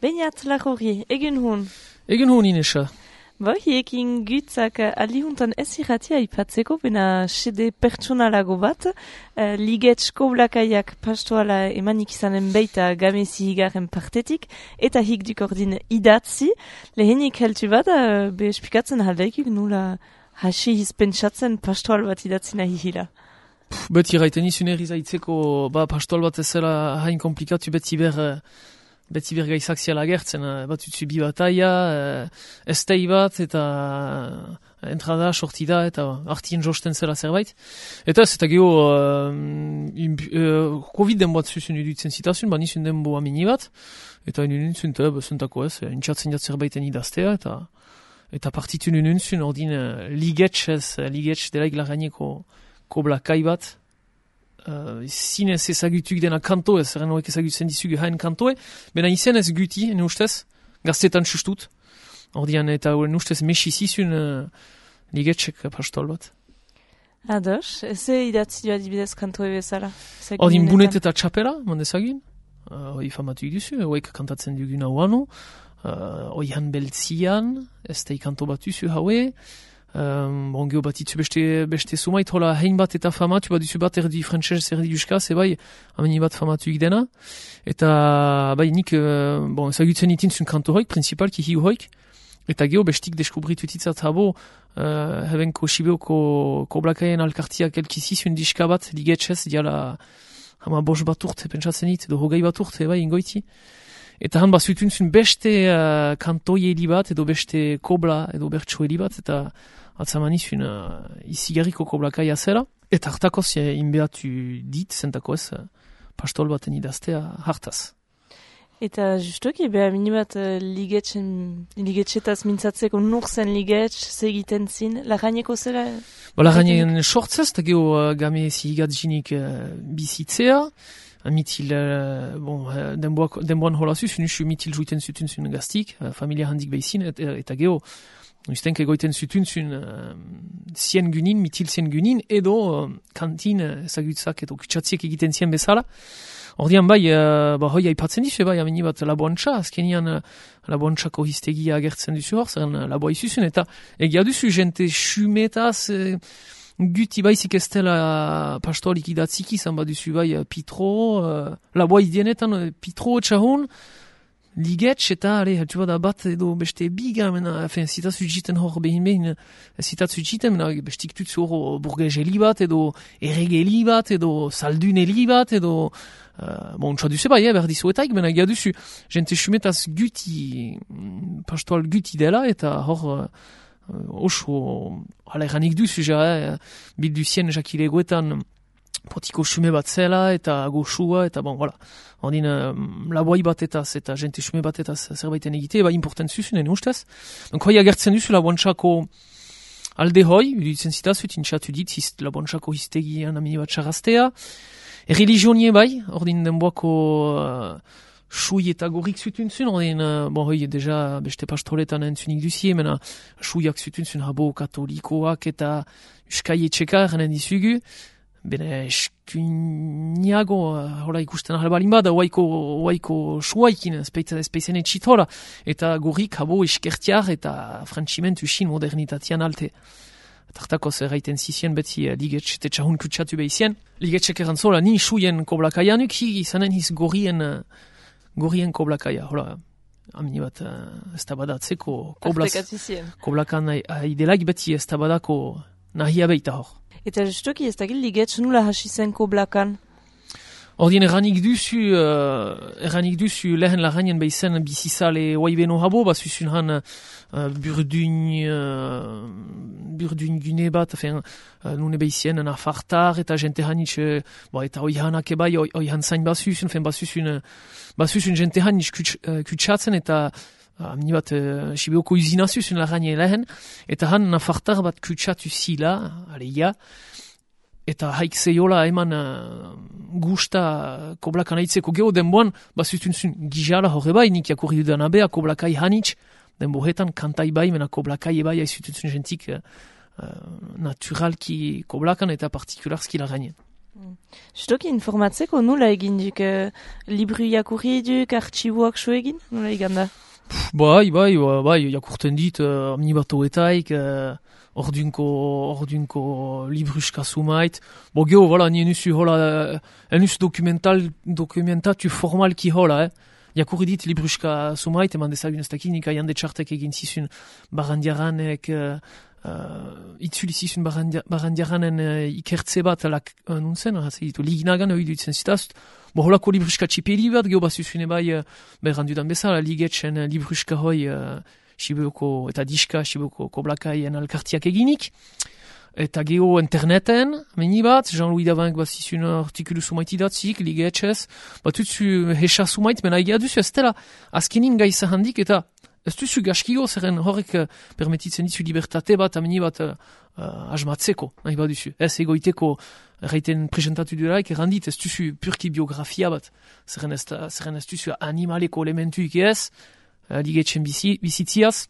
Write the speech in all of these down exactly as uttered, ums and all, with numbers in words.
Beñat Lajurri, egun hun. Egun hun Inesa. Bo, hiekin gutzak alihuntan ez irratia ipatzeko, bena sede pertsonalago bat, uh, ligetz koblakaiak pastoala emanik izanen beita gamezi higaren partetik, eta hik dukordin idatzi, lehenik heltu bat, uh, be espikatzen haldaikik nula hasi hizpentsatzen pastoal bat idatzi nahi hila. Beti raiten izun erizaitzeko, ba, pastoal bat ezela hain komplikatu beti ber... beti bergaizak ziala gertzen, bat utzu bi bataia, estei bat, eta entrada, sortida, eta artien josten zela zerbait. Eta ez, eta geho, uh, Covid den bat zuzun idutzen zitazun, ba nizun den bo amini bat, eta inununtzun, eta bezuntako ez, intxatzen jat zerbaiten idaztea, eta eta partitun inununtzun, ordin uh, ligetx ez, ligetx delaik lagaineko koblakai bat, Uh, zinez ezagutuk dena kanto ez, erren horrek ezagutzen dizugu hain kantoe, bena izen ez guti, ene ustez, gaztetan sustut, ordean eta horren ustez mesizizun uh, ligetxek pastol bat. Ados, eze idatzi joa dibidez kantoe bezala? Ordin bunet eta txapela, mandezagin, hori uh, famatu duzu, horrek kantatzen dugun hau ano, uh, oihan beltzian, ez da ikanto bat duzu haue, Um, bon, geho bat itzu beste, beste sumait, hola hein bat eta famatu, bat itzu bat erdi frantxez, erdi euskaz, ebai, ameni bat famatu ikdena. Eta, bai, nik, uh, bon, ezagutzen itin zun kanto hoik, principalki hiu hoik, eta geho bestik deskubritu titzat habo, uh, hebenko Sibeoko koblakaien alkartiak elkizizun diska bat, ligetxez, diala, hama bos bat urte, pentsatzen it, edo hogei bat urte, bai, ingoiti. Eta han bazutun zun beste uh, kantoieli bat, edo beste kobla, edo bertsoeli bat, eta atzamani zun uh, izigarriko koblakaia zela. Eta hartakoz uh, inbeatu dit, zentakoz, uh, pastol baten idaztea hartaz. Eta justoki, beha minibat uh, ligetxetaz mintzatzeko nur zen ligetx, segiten zin, lagaineko zela? Ba, lagainen sortzez, eta geho uh, game zihigat jinik uh, bizitzea, mitil, uh, bon, uh, denboan hola zuz, nusu mitil juiten zutun zun gaztik, uh, familia handik behizin, et, eta geho, ustenke goiten zutun zun uh, zien gunin, mitil zien gunin, edo uh, kantin ezagutzak edo kutsatziek egiten zien bezala. Ordean bai, uh, ba, hoi aipatzen dizu, bai, ameni bat laboantxa, azkenian uh, laboantxako hiztegia agertzen duzu hor, zeren uh, laboa izuzun, eta egia duzu, jente xumetaz, uh, guti baizik ez dela pastolik idatzik izan baduzu bai pitro, uh, laboa idienetan uh, pitro txahun, ligetx eta, ale, hatzu bada bat edo beste biga, mena, efen, zitatzu jiten hor behin behin, zitatzu jiten, mena, bestik tutzu hor burgezeli bat, edo erregeli bat, edo salduneli bat, edo, uh, bon, txua duzu bai, eh, berdizuetaik, mena, ega duzu, jente xumetaz guti, pastoal guti dela, eta hor, uh, Uh, oso, hala eranik duzu, ja, eh, bildu zien jakilegoetan potiko xume bat zela, eta goxua, eta bon, voilà. Ondin, uh, laboai bat etaz, eta jente xume bat etaz zerbaiten egite, eba important zuzunen ustez. Donc, hoi agertzen duzu laboantxako alde hoi, udutzen zitazu, tintxatu dit, hist, laboantxako histegian amini bat xarraztea. Religionie bai, ordin denboako... Uh, Sui eta gorrik zutun zun, ordin, uh, bon, hoi, deja, beste pastoletan entzunik duzie, mena, suiak zutun zun habo katolikoak eta uskai etxeka, erren dizugu, bene, eskuniago, uh, hola ikusten ahalbalin bada, oaiko, oaiko suaikin, espeizen etxit hola, eta gorrik habo eskertiar eta frantximentu xin modernitatian alte. Tartako zerraiten zizien beti uh, ligetx eta txahun kutsatu behizien. Ligetxek erantzola, ni suien koblakaianuk, hi izanen hiz gorrien... Uh, gorrien koblakaia, hola, amini bat, uh, ez tabadatzeko, koblakan haidelaik beti ez tabadako nahia beita hor. Eta justoki ez dakil ligetx nula hasi zen koblakan? Ordien erranik duzu, uh, erranik duzu lehen lagainen behizen bizizale oaibeno habo, bazuzun han uh, burdun, uh, burdun gune bat, afen, uh, nune behizien nafartar, eta jente hanitz, uh, bo, eta oihanak ebai, oihan zain bazuzun, fen bazuzun, bazuzun jente hanitz kutsatzen, eta amini bat, uh, Sibeoko uzinazuzun lagainen lehen, eta han nafartar bat kutsatu zila, aleia, eta haik zeiola eman uh, gusta koblakan aitzeko geho denboan, bazutun zun gizala horre bai, nik jakurri dudan abea, koblakai hanitz, denbohetan kantai bai, mena koblakai ebai haizutun zun jentik uh, naturalki koblakan eta partikularski lagainen. Justoki informatzeko nola egin duk, uh, libru jakurri duk, artxiboak so egin, nola egin da? Bai, bai, bai, jakurten dit, uh, amni bat oetaik, uh, ordunko, ordunko libruska sumait. Bo geho, voilà, ni enusu hola, enus dokumental, dokumentatu formalki hola, eh. Jakurri dit libruska sumait, eman dezagun ez dakit, nik aian detxartek egin zizun barandiaranek, uh, uh, itzuli zizun barandiaranen uh, ikertze bat, lak, uh, nuntzen, uh, liginagan hori dutzen zitaz. Bo holako libruska txipeli bat, geho bazuzune bai, uh, berandudan bezala, ligetxen uh, libruska hoi, uh, Sibuko eta diska, Sibuko koblakaien alkartiak eginik. Eta geho interneten, meni bat, Jean-Louis Davank bat zizun artikulu sumait idatzik, ligetxez, bat utzu hesa sumait, mena egia duzu, ez dela azkenin gaiza handik, eta ez duzu gaskigo, zerren horrek uh, permetitzen dizu libertate bat, ameni bat uh, uh, asmatzeko, nahi bat duzu. Ez egoiteko, erraiten presentatu duraik, errandit, ez duzu purki biografia bat, zerren ez, zerren ez duzu animaleko elementuik ez, Uh, ligetxen bizi, bizitziaz,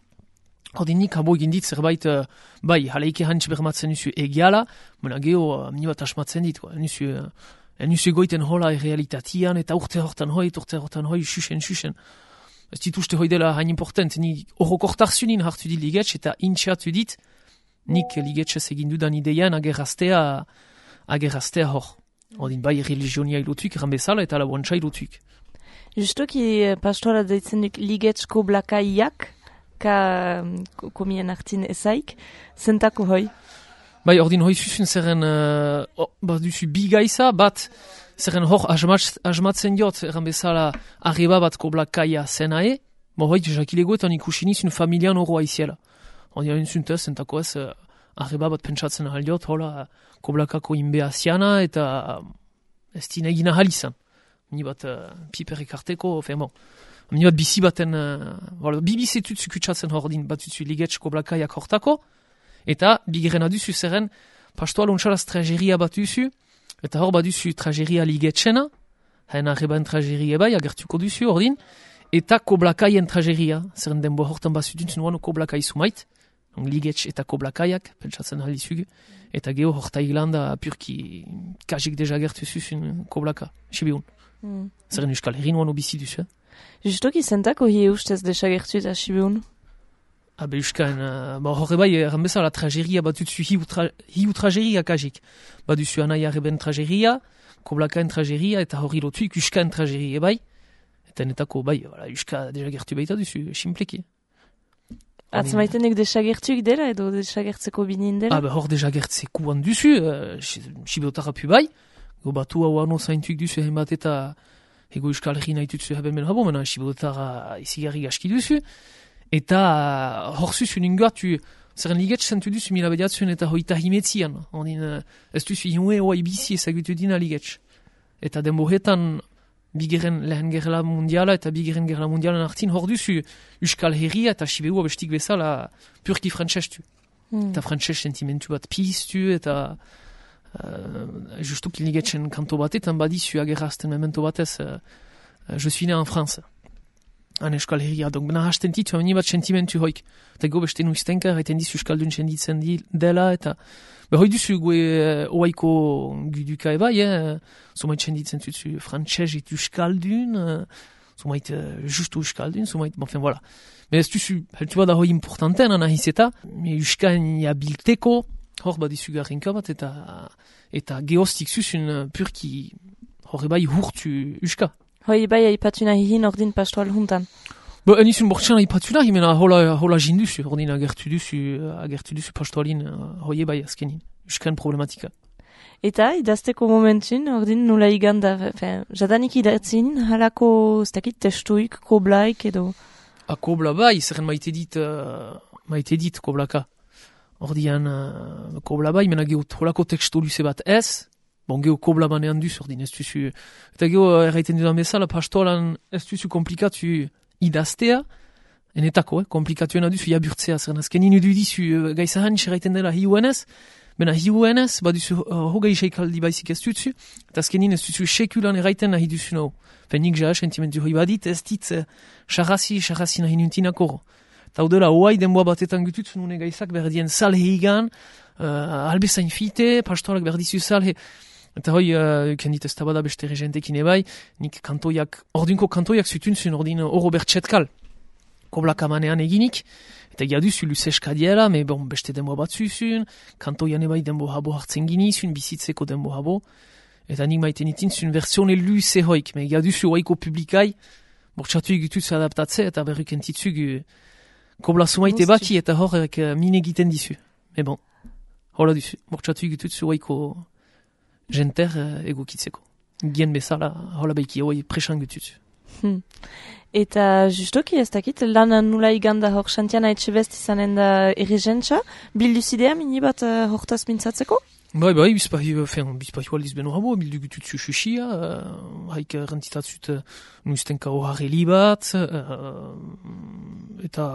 ordin nik habo egin dit zerbait, uh, bai, haleike hantz bermatzen nuzu egiala, mena geho, uh, mini bat asmatzen dit, nuzu, uh, nuzu egoiten hola errealitatian, eta urte hortan hoi, urte hortan hoi, xuxen, xuxen. Ez dituzte hoi dela hain important, ni horrokortarzunin hartu dit ligetx, eta intxatu dit, nik ligetxez egin dudan ideian agerraztea, agerraztea hor. Ordin bai, religionia ilotuik, ranbezala, eta labuantza ilotuik. Justoki pastoara deitzen duk ligetxko blakaiak, ka komien hartin ezaik, zentako hoi? Bai, ordin hoi zuzun zerren, uh, oh, bat duzu bi gaiza, bat zerren hor asmatzen diot, erran bezala arreba bat ko blakaia zenae, mo hoi jakilegoetan ikusin izun familian oro aiziela. Ordin hain zuntez, zentako ez, uh, arreba bat pentsatzen ahal diot, hola ko blakako inbea ziana, eta uh, ez dina egina halizan. Ni bat uh, piper ekarteko, fe bon. Ni bat bizi baten, uh, voilà, bi bizetut zukutsatzen hordin bat utzu ligetxko blakaiak hortako, eta bigeren aduzu zerren, pastoa lontxalaz trageria bat duzu, eta hor bat duzu trageria ligetxena, hain arreban trageria bai, agertuko duzu hordin, eta koblakaien trageria, zerren denbo hortan bat zutuntzen nuan koblakai sumait, ligetx eta koblakaiak, pentsatzen halizugu, eta geho horta Irlanda purki kajik deja gertu zuzun koblaka, sibiun. Mm. Zerren euskal herrin oan obizi duzu, eh? Justoki zentako hi ustez desagertu eta sibiun? Abe euskaen, uh, ba horre bai, erran bezala trageria bat dutzu hiu, tra, hiu trageria kajik. Bat duzu anai arreben trageria, koblakaen trageria, eta horri lotuik euskaen trageria bai. Eta netako bai, voilà, euska desagertu baita duzu, simpleki. Atzmaitenek desagertuik dela edo desagertzeko binin dela? Ah, ba hor desagertzeko an duzu, uh, sibiotara pu bai. Go batu hau ano zaintuik duzu hen bat eta ego euskal herri nahi tutzu haben ben habo, mena sibiotara izigarri gaski duzu. Eta hor zuzun ingatu, zerren ligetx zentu duzu mila bediatzen eta hoita himetzian. Ondin, ez duzu ihue hoa ibizi ezagutu dina ligetx. Eta denbohetan bigeren lehen gerla mundiala eta bigeren gerla mundialan hartin hor duzu euskal herria eta sibeu abestik bezala purki frantsestu. Mm. Eta frantses sentimentu bat piztu eta uh, justuk ligetxen kanto batetan badizu agerrazten memento batez uh, uh, je suis né en France. Han euskal herria, donc bena hasten titu ameni bat sentimentu hoik. Eta go beste nuiztenka erraiten dizu euskaldun senditzen dela eta be hoi duzu gue uh, oaiko guduka ebai, eh? Zomait senditzen zuzu frantxez et euskaldun, uh, zomait uh, justu euskaldun, zomait, bon, enfin, voilà. Mais ez duzu, heltu bada hoi importanten anahiz eta, me euskain jabilteko, hor badizu garrinka bat eta eta geostik zuzun uh, purki hor ebai hurtu euska. Hoi bai aipatu nahi hin ordin pastoal juntan. Ba, enizun bortxan aipatu nahi, mena hola, hola jinduzu, ordin agertu duzu, agertu duzu pastoalin, hoi bai azkenin, euskan problematika. Eta idazteko momentun, ordin nula iganda, fin, jadanik idatzin, halako, ez dakit, testuik, koblaik edo? A kobla bai, zerren maite dit, uh, maite dit koblaka. Ordian, uh, kobla bai, mena geot holako tekstu luze bat ez, bon, geho kobla banean duz, ordin ez duzu, eta geho erraiten dudan bezala, pastoalan ez duzu komplikatu idaztea, enetako, eh, komplikatuena duzu jaburtzea, zerren azkenin udu dizu gaizahan erraiten dela hiuenez, bena hiuenez, baduzu uh, hogei seikaldi baizik ez duzu, eta azkenin ez duzu sekulan erraiten nahi duzu nahu. Fenik ja, sentimentu hoi badit, ez dit, xarrazi, uh, xarrazi nahi nuntinako. Eta hau dela, hoai denboa batetan gutut, nune gaizak berdien salhe igan, uh, albezain fite, pastorak berdizu salhe, Eta hoi, uh, kendit ez tabada beste regentekin ebai, nik kantoiak, ordinko kantoiak zutunzun ordin oro bertxetkal, koblakamanean eginik, eta jaduzu luzeska diela, me bon, beste denbo bat zuzun, kantoian ebai denbo habo hartzen ginizun, bizitzeko denbo habo, eta nik maiten itinzun versione luze hoik, me jaduzu hoiko publikai, bortxatu egituz adaptatze, eta berruk entitzug kobla sumaite baki, eta horrek uh, mine egiten dizu. Me bon, hola duzu, bortxatu egituz hoiko jenter uh, egokitzeko. Gien bezala, hola beiki, hoi presan gutuz. Hmm. Eta justoki ez dakit, lan nula iganda hor xantiana etxe best izanen da erregentza, bilduzidea mini bat uh, hortaz mintzatzeko? Bai, bai, bizpahi, fin, bizpahi aldiz beno habo, bildu gutut zu xuxia, uh, haik rentitatzut uh, nuiztenka hoharreli bat, uh, eta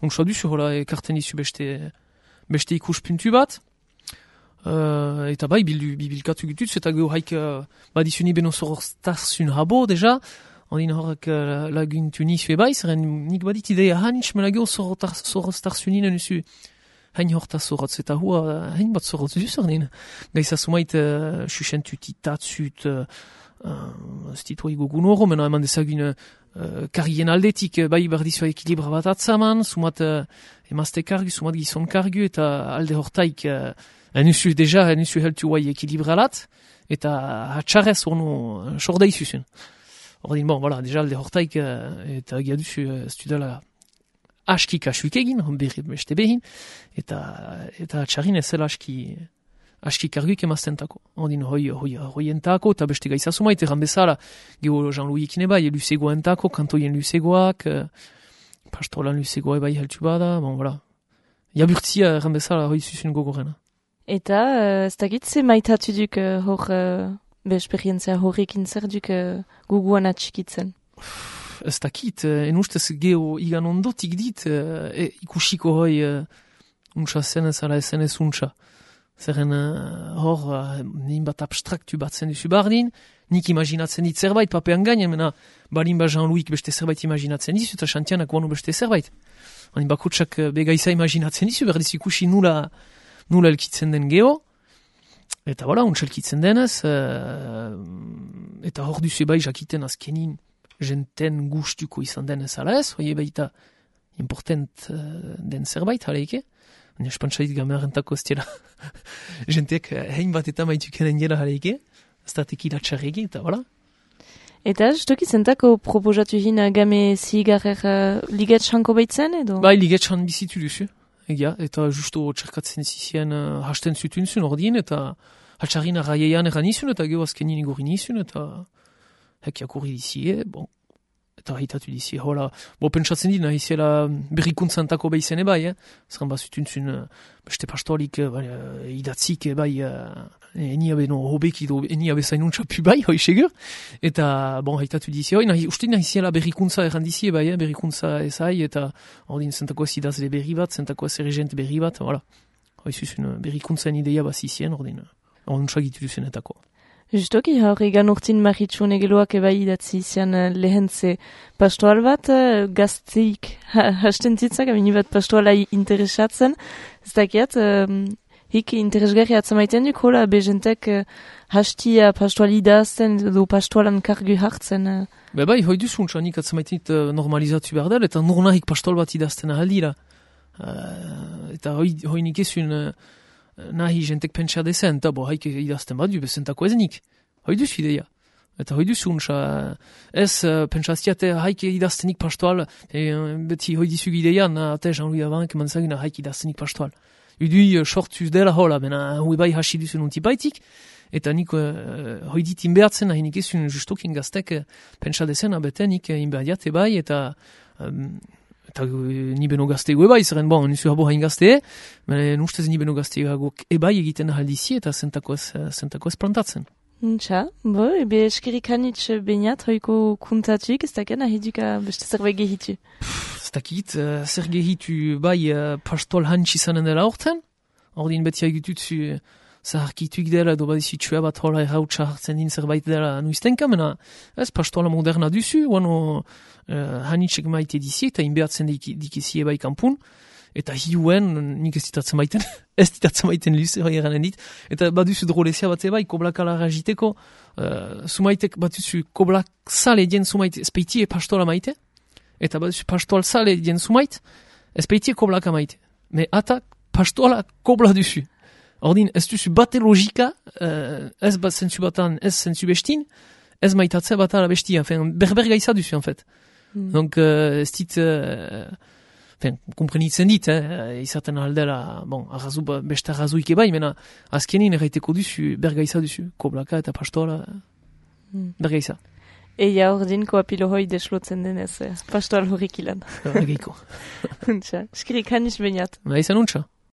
untsa duzu, hola, ekarten izu beste, beste ikuspuntu bat, uh, eta bai, bildu bibilkatu gutut, eta geho haik uh, badizuni beno zoroztarzun habo, deja, ondin horrek uh, laguntu nizu ebai, zeren nik badit ideia hanitz, mela geho zoroztarzunin nuzu, hain horta zorotz, eta hua hain bat zorotz duz ordin. Gaiza sumait uh, susentut itatzut, uh, uh, stitua igogun oro, mena eman dezagun uh, kargien aldetik, uh, bai berdizua ekilibra bat atzaman, sumat uh, emazte kargu, sumat gizon kargu, eta alde hortaik, uh, enuzu deja, enuzu heltu guai ekilibra lat, eta hatxarrez orno sorda izuzun. Ordin, bon, voilà, deja alde hortaik, uh, eta giaduzu uh, studala aski kasuik egin, berri beste behin, eta eta txarrin ezela aski aski karguik emaztentako. Ondin hoi, hoi, hoi entako, eta beste gaiza sumait, erran bezala, geho Jean-Louis ikine bai, luzegoa entako, kantoien luzegoak, eh, pastolan luzegoa bai heltu bada, bon, voilà. Jaburtzia erran bezala hoi zuzun gogorena. Eta, uh, ez dakit ze maitatu duk uh, hor, uh, be esperientzia horrekin zer duk uh, guguan atxikitzen? Ez dakit, en ustez geho igan ondotik dit, e, ikusiko hoi uh, untsa zen ez ala ezen ez untsa. Zeren uh, hor, uh, nin bat abstraktu bat zen duzu bardin, nik imaginatzen dit zerbait, papean gainen, mena balin ba Jean-Louis beste zerbait imaginatzen dizu, eta xantianak guanu beste zerbait. Hain bakotsak uh, begaiza imaginatzen dizu, berdiz ikusi nula, nula elkitzen den geho, eta voilà, untsa elkitzen denez, uh, eta hor duzu bai jakiten azkenin, jenten gustuko izan den ez ala ez, hoi baita important uh, den zerbait, haleike. Baina espantzait gamerentako ez dira. Jenteak hein bat eta maitukenen dira haleike, ez da tekila txarregi, eta voilà. Eta justoki zentako proposatu hin game zigarrer uh, ligetxanko baitzen edo? Bai, ligetxan bizitu duzu, egia, eta justo txerkatzen zizien uh, hasten zutun zun ordin, eta hatxarrin arraieian eran izun, eta geho azkenin igorin izun, eta hekiak horri dizie, bon, eta haitatu dizie, hola, bo pentsatzen dina, iziela berrikuntzantako behizen ebai, eh? Zerren bazutuntzun, beste pastoalik, uh, idatzik ebai, uh, enia beno hobeki do, enia bezain untxapu bai, hoi segur, eta, bon, haitatu dizie, hoi, nahi, uste nahi iziela berrikuntza erran dizie ebai, eh? Berrikuntza ezai, eta ordin zentako ez idazle berri bat, zentako ez erregent berri bat, voilà, hoi zuzun berrikuntzan ideia bazizien, ordin, ordin txagitu duzenetako. Justoki, hor egan urtin maritxun egeloak ebai idatzi izan uh, lehentze pastoal bat, uh, gazteik ha, hasten zitzak, amini bat pastoala interesatzen. Ez dakiat, um, hik interesgarri atzamaiten duk, hola, bejentek uh, hastia pastoal idazten edo pastoalan kargu hartzen. Uh. Be bai, hoi duzun, nik atzamaiten uh, normalizatu behar dela, eta nurnahik pastoal bat idazten ahaldira. Uh, eta hoi, hoi nik ezun... Uh, nahi jentek pentsa dezen, eta bo haik idazten badu, bezentako ezenik. Hoi duzu ideia. Eta hoi duzu untsa, ez uh, pentsaztiate haik idaztenik pastoal, e, beti hoi dizu ideia, na ate Jean-Louis Avank manzaguna haik idaztenik pastoal. Udui uh, sortzuz dela hola, bena hui bai hasi duzu nunti baitik, eta nik uh, hoi dit inbeatzen, nahi nik ezun justokin gaztek uh, pentsa dezen, abete nik uh, inbeadiate bai, eta... Um, eta ni beno gaztego ebai, zeren bon, nuzu habo hain gazte, mene ustez ni beno gaztego ebai egiten ahaldizi eta zentako ez, zentako ez plantatzen. Ntxa, bo, ebe eskerik hanitz beinat, hoiko kuntatuk, ez daken ahiduka beste zerbait gehitu? Ez dakit, uh, zer gehitu bai uh, pastol hantz izanen dela horten, ordin beti haigututzu zaharkituik dela edo badizu txua bat hola errautsa hartzen din zerbait dela nuiztenka, mena ez pastola moderna duzu, wano uh, hanitzek maite dizi eta inbeatzen dikizie bai kampun, eta hiuen, nik ez ditatzen maiten, ez ditatzen maiten luze, hori eranen dit, eta baduzu drolezia bat bai, koblakala rajiteko, uh, sumaitek baduzu koblak sale dien sumait, espeitie pastola maite, eta baduzu pastoal sale dien sumait, espeitie koblaka maite. Me ata pastola kobla duzu. Ordin, ez duzu bate logika, uh, ez bat zentzu batan, ez zentzu bestin, ez maitatze bat ala bestia, berber gaiza duzu, en fait. Mm. Donc, uh, ez dit... Uh, Fen, komprenitzen dit, eh, izaten aldela, bon, arrazu, beste arrazuik ebai, mena azkenin erraiteko duzu, bergaiza duzu, koblaka eta pastola, mm. bergaiza. Eia ordin koapilo hoi deslotzen denez, eh, pastoal horrik ilan. Egeiko. Untxa, skirik hanis bainat. Ba, izan untxa.